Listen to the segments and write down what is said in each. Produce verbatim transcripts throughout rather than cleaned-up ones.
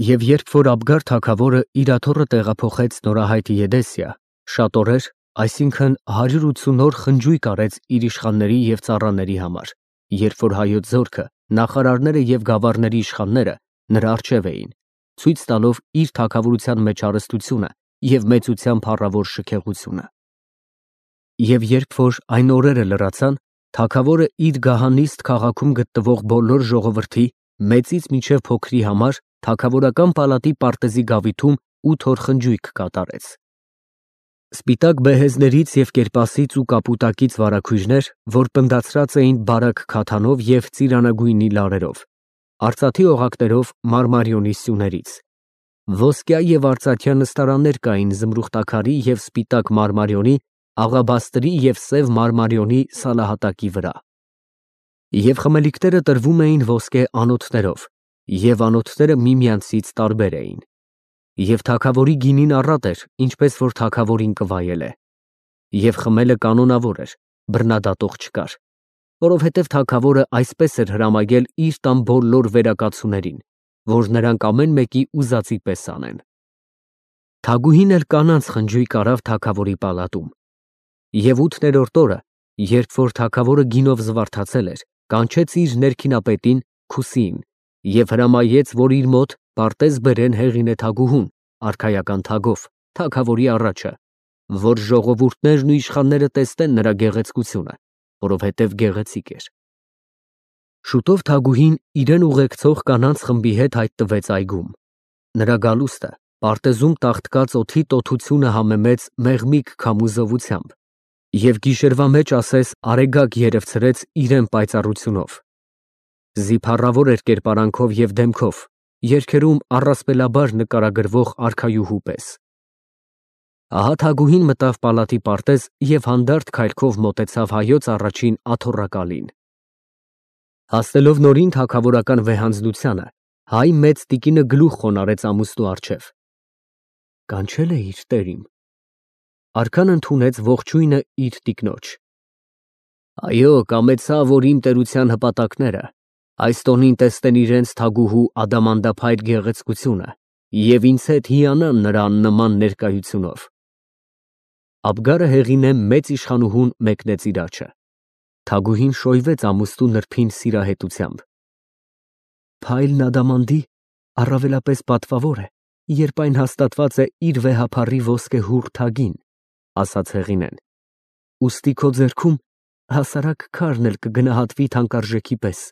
Եվ երբ որ Աբգար թագավորը իր աթոռը տեղափոխեց նորահայտ Եդեսիա, շատ օրեր, այսինքն հարյուր ութսուն օր խնջույք արեց իր իշխանների և ծառաների համար, երբ որ հայոց զորքը, նախարարները և գավառների իշխանները նրա առջև էին, ցույց տալով իր թագավորության մեջ հարստությունը և մեծության փառավոր շքեղությունը։ Եվ երբ որ այն օրերը լրացան, թագավորը իր գահանիստ քաղաքում գտնվող բոլոր ժողովրդի, մեծից մինչև փոքրի համար թագավորական պալատի պարտեզի գավիթում ութ օր խնջույք կատարեց։ Սպիտակ բեհեզներից և կերպասից ու կապուտակից վարագույրներ, որ պնդացրած էին բարակ քաթանով և ծիրանագույնի լարերով, արծաթի օղակներով մարմարիոնի սյուներից, ոսկյա և արծաթյա նստարաններ կային զմրուխտաքարի և սպիտակ մարմարիոնի, աղաբաստրի և սև մարմարիոնի սալահատակի վրա։ Եվ խմելիքները տրվում էին ոսկե անոթներով, և անոթները միմյանցից տարբեր էին։ Եվ թագավորի գինին առատ էր, ինչպես որ թագավորին կվայել է։ Եվ խմելը կանոնավոր էր, բռնադատող չկար, որովհետև թագավորը այսպես էր հրամայել իր տան բոլոր վերակացուներին, որ նրանք ամեն մեկի ուզածի պես անեն։ Թագուհին էլ կանանց խնջույք արավ թագավորի պալատում։ Եվ ութներորդ օրը, երբ որ թագավորը գինով զվարթացել էր, կանչեց իր ներքինապետին Քուսիին և հրամայեց, որ իր մոտ պարտեզ բերեն Հեղինե թագուհուն, արքայական թագով, թագավորի առաջը, որ ժողովուրդներն ու իշխանները տեսնեն նրա գեղեցկությունը, որովհետև գեղեցիկ էր։ Շուտով թագուհին իրեն ուղեկցող կանանց խմբի հետ հայտնվեց այգում։ Նրա գալուստը պարտեզում տաղտկած օդի տոթությունը համեմեց մեղմիկ քամու զովությամբ և գիշերվա մեջ ասես արեգակ երևցրեց իրեն պայծառությունով։ Զիփառավոր էր կերպարանքով և դեմքով, երգերում առասպելաբար նկարագրվող արքայուհու պես։ Ահա թագուհին մտավ պալատի պարտեզ և հանդարտ քայլքով մոտեցավ հայոց առաջին աթոռակալին։ Հասնելով նորին թագավորական վեհանձնությանը, հայ մեծ տիկինը գլուխ խոնարհեց ամուսնու առջև։ Կանչե՞լ է իր տերիմ։ Արքան ընդունեց ողջույնը իր տիկնոջ։ Այո, կամեցա, որ իմ տերության հպատակները այս տոնին տեսնեն իրենց թագուհու ադամանդափայլ գեղեցկությունը և ինձ հետ հիանան նրա աննման ներկայությունով։ Աբգարը Հեղինե մեծ իշխանուհուն մեկնեց իր առաջը։ Թագուհին շոյվեց ամուսնու նրբին սիրահետությամբ։ Փայլն ադամանդի առավելապես պատվավոր է, երբ այն հաստատված է իր վեհափառի ոսկեհուռ թագին, ասաց Հեղինեն, ուստի քո ձեռքում հասարակ քարն էլ կգնահատվի թանկարժեքի պես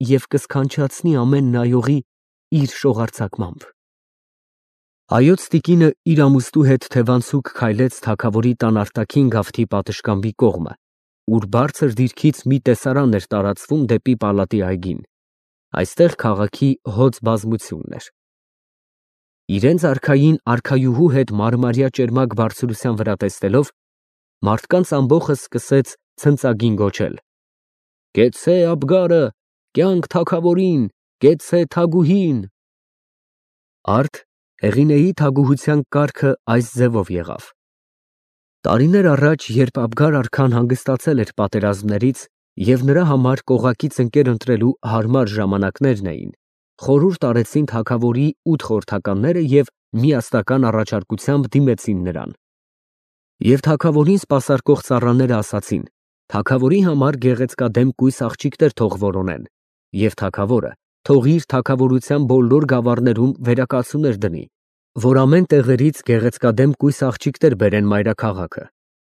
և կսքանչացնի ամեն նայողի իր շողարձակմամբ։ Հայոց տիկինը իր ամուսնու հետ թևանցուկ քայլեց թագավորի տան արտաքին գավթի պատշգամբի կողմը, ուր բարձր դիրքից մի տեսարան էր տարածվում դեպի պալատի այգին, այստեղ քաղաքի հոծ բազմությունն էր։ Իրենց արքային արքայուհու հետ մարմարյա ճերմակ բարձրության վրա տեսնելով, մարդկանց ամբոխը սկսեց ցնծագին գոչել. Կեցցե Աբգարը, կյանք թագավորին, կեցցե թագուհին։ Արդ Հեղինեի թագուհության կարգը այս ձևով եղավ. Տարիներ առաջ, երբ Աբգար արքան հանգստացել էր պատերազմներից և նրա համար կողակից ընկեր ընտրելու հարմար ժամանակներն էին, խորհուրդ արեցին թագավորի ութ խորհրդականները և միասնական առաջարկությամբ դիմեցին նրան։ Եվ թագավորին սպասարկող ծառաները ասացին. թագավորի համար գեղեցկադեմ կույս աղջիկներ թող որոնեն, և թագավորը թող իր թագավորության բոլոր գավառներում վերակացուներ դնի, որ ամեն տեղերից գեղեցկադեմ կույս աղջիկներ բերեն մայրաքաղաքը,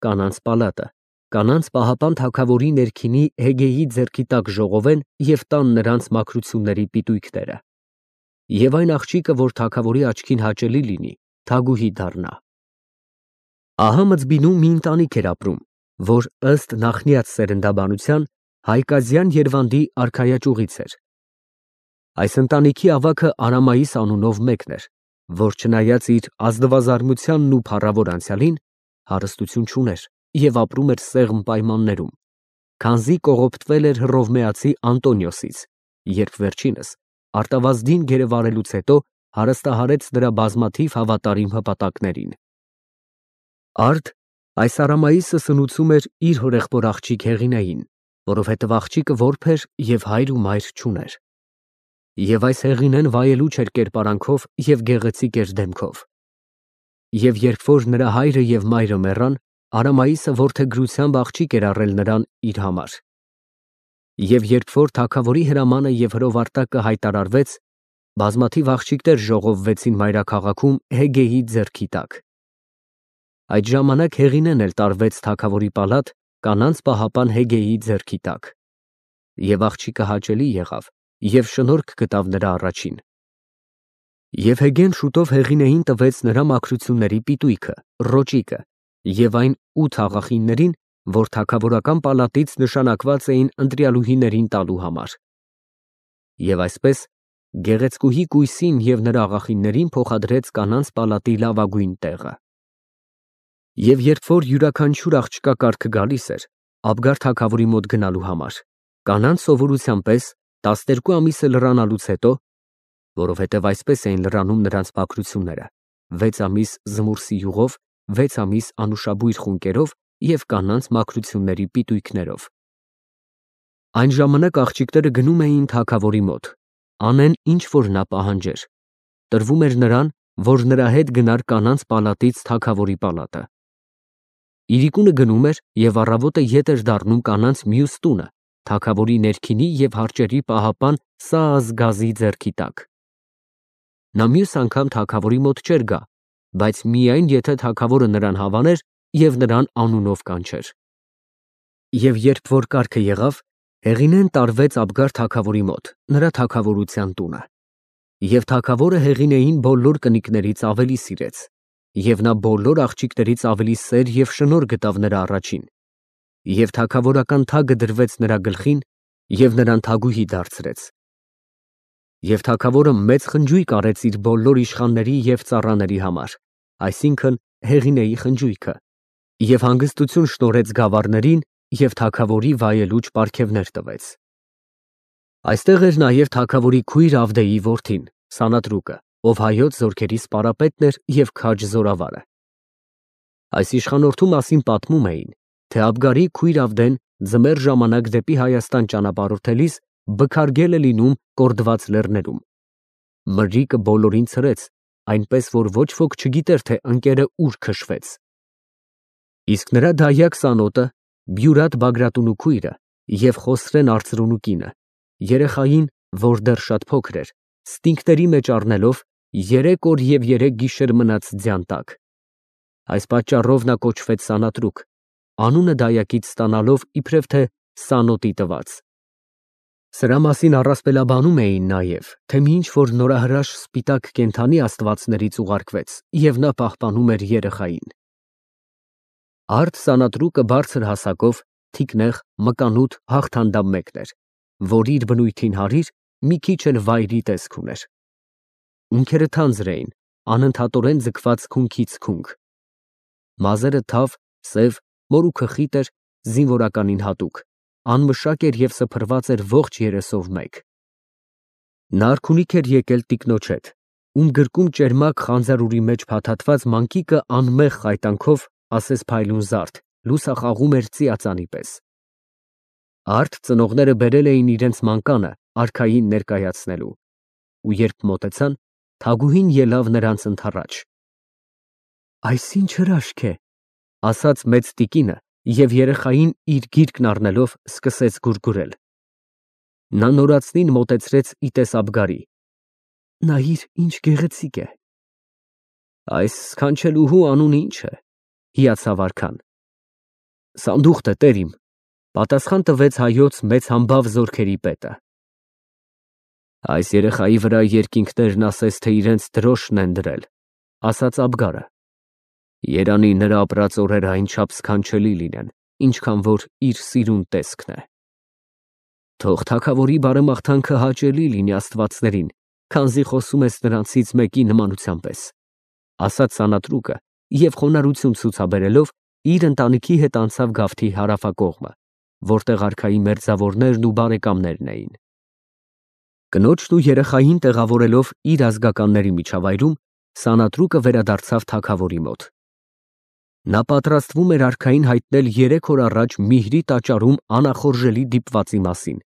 կանանց պալատը, կանանց պահապան թագավորի ներքինի Հեգեյի ձեռքի տակ ժողովեն և տան նրանց մաքրությունների պիտույքները։ Եվ այն աղջիկը, որ թագավորի աչքին հաճելի լինի, թագուհի դառնա։ Ահա Մզբինում մի ընտանիք էր ապրում, որ ըստ նախնիած սերնդաբանության Հայկազյան Երվանդի արքայաճյուղից էր։ Այս ընտանիքի ավագը Արամայիս անունով մեկն էր, որ չնայած իր ազնվազարմությանն ու փառավոր անցյալին, հարստություն չուներ և ապրում էր սեղմ պայմաններում, քանզի կողոպտվել էր հռովմեացի Անտոնիոսից, երբ վերջինս արտավազդին գերեվարելուց հետո հարստահարեց նրա բազմաթիվ հավատարիմ հպատակներին։ Արդ այս Արամայիսը սնուցում էր իր հորեղբոր աղջիկ Հեղինեին, որովհետև աղջիկը որբ էր և հայր ու մայր չուներ։ Եվ այս հեղինեն վայելուչ էր կերպարանքով և գեղեցիկ էր դեմքով։ Եվ երբ որ նրա հայրը և մայրը մեռան, Արամայիսը որդեգրությամբ աղջիկ էր առել նրան իր համար։ Եվ երբ որ թագավորի հրամանը և հրովարտակը հայտարարվեց, բազմաթիվ աղջիկներ ժողովվեցին մայրաքաղաքում Հեգեի ձեռքի տակ։ Այդ ժամանակ հեղինեն էլ տարվեց թագավորի պալատ կանանց պահապան Հեգեի ձեռքի տակ։ Եվ աղջիկը հաճելի եղավ և շնորհք գտավ նրա առաջին։ Եվ Հեգեն շուտով Հեղինեին տվեց նրա մաքրությունների պիտույքը, ռոճիկը և այն ութ աղախիններին, որ թագավորական պալատից նշանակված էին ընտրյալուհիներին տալու համար։ Եվ այսպես գեղեցկուհի կույսին և նրա աղախիններին փոխադրեց կանանց պալատի լավագույն տեղը։ Եվ երբ որ յուրաքանչյուր աղջկա կարգը գալիս էր Աբգար թագավորի մոտ գնալու համար, կանանց սովորության պես տասներկու ամիսը լրանալուց հետո, որովհետև այսպես էին լրանում նրանց մաքրությունները, վեց ամիս զմուրսի յուղով, վեց ամիս անուշաբույր խունկերով և կանանց մաքրությունների պիտույքներով։ Այն ժամանակ աղջիկները գնում էին թագավորի մոտ, անեն ինչ որ նա պահանջեր, տրվում էր նրան, որ նրա հետ գնար կանանց պալատից թագավորի պալատը։ Իրիկունը գնում էր և առավոտը ետ էր դառնում կանանց մյուս տունը, թագավորի ներքինի և հարճերի պահապան Սաազգազի ձեռքի տակ։ Նա մյուս անգամ թագավորի մոտ չէր գա, բայց միայն եթե թագավորը նրան հավաներ և նրան անունով կանչեր։ Եվ երբ որ կարգը եղավ, Հեղինեն տարվեց Աբգար թագավորի մոտ, նրա թագավորության տունը։ Եվ թագավորը Հեղինեին բոլոր կնիկներից ավելի սիրեց, և նա բոլոր աղջիկներից ավելի սեր և շնորհ գտավ նրա առաջին։ Եվ թագավորական թագը դրվեց նրա գլխին, և նրան թագուհի դարձրեց։ Եվ թագավորը մեծ խնջույք արեց իր բոլոր իշխանների և ծառաների համար, այսինքն՝ Հեղինեի խնջույքը, և հանգստություն շնորհեց գավառներին և թագավորի վայելուչ պարգևներ տվեց։ Այստեղ էր նաև թագավորի քույր Ավդեի որդին՝ Սանատրուկը, ով հայոց զորքերի սպարապետն էր և քաջ զորավարը։ Այս իշխանորդու մասին պատմում էին, թե Աբգարի քույր Ավդեն ձմեռ ժամանակ դեպի Հայաստան ճանապարհորդելիս բքարգել է լինում Կորդված լեռներում։ Մրրիկը բոլորին ցրեց, այնպես որ ոչ ոք չգիտեր, թե ընկերը ուր քշվեց։ Իսկ նրա դայակ Սանոտը, Բյուրատ Բագրատունու քույրը և Խոսրեն արծրունու կինը, երեխային, որ դեռ շատ փոքր էր, ստինգների մեջ առնելով, երեք օր և երեք գիշեր մնաց ձյան տակ։ Այս պատճառով նա կոչվեց Սանատրուկ, անունը դայակից ստանալով իբրև թե Սանոտի տված։ Սրա մասին առասպելաբանում էին նաև, թե մի ինչ֊որ նորահրաշ սպիտակ կենդանի աստվածներից ուղարկվեց, և նա պահպանում էր երեխային։ Արդ Սանատրուկը բարձր հասակով, թիկնեղ, մկանուտ, հաղթանդամ մեկն էր, որ իր բնույթին հարիր, մի քիչ էլ վայրի տեսք ուներ։ Ունքերը թանձր էին, անընդհատորեն ձգված քունքից քունք։ Մազերը թավ, սև, մորուքը խիտ էր, զինվորականին հատուկ, անմշակ էր և սփռված էր ողջ երեսով մեկ։ Նա արքունիք էր եկել տիկնոջ հետ, ում գրկում ճերմակ խանձարուրի մեջ փաթաթված մանկիկը անմեղ խայտանքով, ասես փայլուն զարդ, լուսախաղում էր ծիածանի պես։ Արդ ծնողները բերել էին իրենց մանկանը արքային ներկայացնելու, ու երբ մոտեցան, թագուհին ելավ նրանց ընդառաջ։ «Այս ի՞նչ հրաշք է», ասաց մեծ տիկինը և երեխային իր գիրկն առնելով սկսեց գուրգուրել։ Նա նորածնին մոտեցրեց ի տես Աբգարի։ «Նայիր, ինչ գեղեցիկ է»։ «Այս սքանչելուհու անունը ի՞նչ է», հիացավ արքան։ «Սանդուղթ է, տեր իմ», պատասխան տվեց հայոց մեծ համբավ զորքերի պետը։ «Այս երեխայի վրա երկինքներն ասես թե իրենց դրոշն են դրել», ասաց Աբգարը։ «Երանի նրա ապրած օրերը այնչափ սքանչելի լինեն, ինչքան որ իր սիրուն տեսքն է»։ «Թող թագավորի բարեմաղթանքը հաճելի լինի աստվածներին, քանզի խոսում ես նրանցից մեկի նմանության պես», ասաց Սանատրուկը և խոնարհություն ցուցաբերելով իր ընտանիքի հետ անցավ գավթի հարավակողմը, որտեղ արքայի մերձավորներն ու բարեկամներն էին։ Կնոջն ու երեխային տեղավորելով իր ազգականների միջավայրում, Սանատրուկը վերադարձավ թագավորի մոտ։ Նա պատրաստվում էր արքային հայտնել երեք օր առաջ Միհրի տաճարում անախորժելի դիպվածի մասին,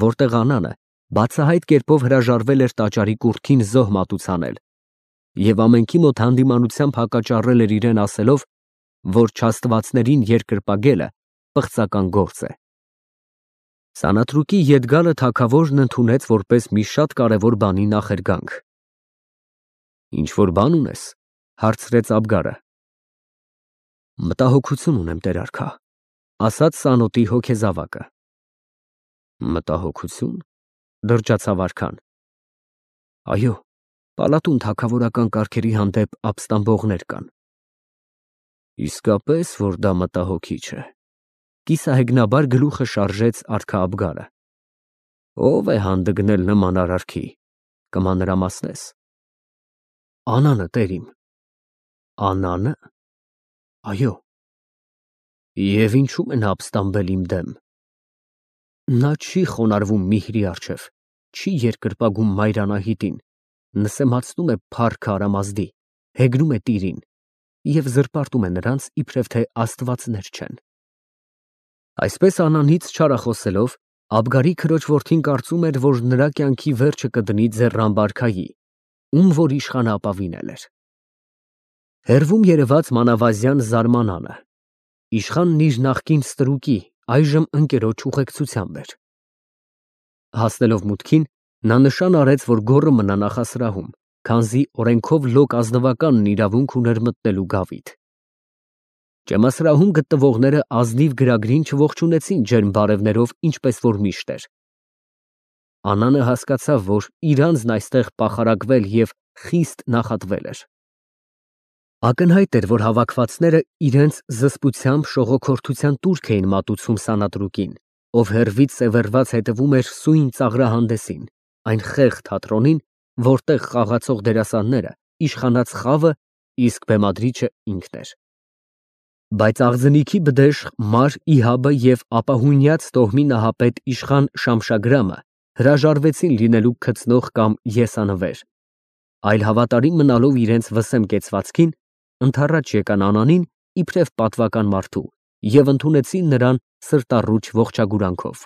որտեղ Անանը բացահայտ կերպով հրաժարվել էր տաճարի կուռքին զոհ մատուցանել և ամենքի մոտ հանդիմանությամբ հակաճառել էր իրեն ասելով, որ չաստվածներին երկրպագելը պղծական գործ է։ Սանատրուկի ետ գալը թագավորն ընդունեց որպես մի շատ կարևոր բանի նախերգանք։ Ինչ-որ բան ունես, հարցրեց Աբգարը։ Մտահոգություն ունեմ, տեր արքա, ասաց սանոտի հոգեզավակը։ Մտահոգություն, դրջացավ արքան։ Այո, պալատում թագավորական կարգերի հանդեպ ապստամբողներ կան։ Իսկապես, որ դա մտահոգիչ է, կիսահեգնաբար գլուխը շարժեց արքա Աբգարը։ Ո՞վ է հանդգնել նման արարքի, կմանրամասնես։ Անանը, տեր իմ։ Անանը։ Այո։ Եվ ինչու՞մ են ապստամբել իմ դեմ։ Նա չի խոնարհվում Միհրի առջև, չի երկրպագում Մայրանահիտին, նսեմացնում է փառքը Արամազդի, հեգնում է տիրին և զրպարտում է նրանց, իբրև թե աստվածներ չեն։ Այսպես անանից չարախոսելով, Աբգարի քրոջ որդին կարծում էր, որ նրա կյանքի վերջը կդնի ձեռան բարքայի, ում որ իշխանը ապավինել էր։ Հեռվում երևաց մանավազյան զարմանանը։ Իշխանն իր նախկին ստրուկի, այժմ ընկերոջ ուղեկցությամբ էր։ Հասնելով մուտքին, նա նշան արեց, որ գոռը մնա նախասրահում, քանզի օրենքով լոկ ազնվականն իրավունք ուներ մտնելու գավիթ։ Ճեմասրահում գտնվողները ազնիվ գրագրին չողջունեցին ջերմ բարևներով, ինչպես որ միշտ էր։ Անանը հասկացավ, որ իր անձն այստեղ պախարակվել և խիստ նախատվել էր։ Ակնհայտ էր, որ հավաքվածները իրենց զսպությամբ շողոքորթության տուրք էին մատուցում սանատրուկին, ով հեռվից սևեռված հետևում էր սույն ծաղրահանդեսին, այն խեղճ թատրոնին, որտեղ խաղացող դերասանները իշխանած խավը, իսկ բեմադրիչը ինքն էր։ Բայց աղձնիքի բդեշխ Մար Իհաբը և ապահույնյաց տոհմի նահապետ իշխան Շամշագրամը հրաժարվեցին լինելու քծնող կամ եսանվեր, այլ հավատարիմ մնալով իրենց վսեմ կեցվածքին, ընդառաջ եկան Անանին իբրև պատվական մարդու և ընդունեցին նրան սրտառուչ ողջագուրանքով։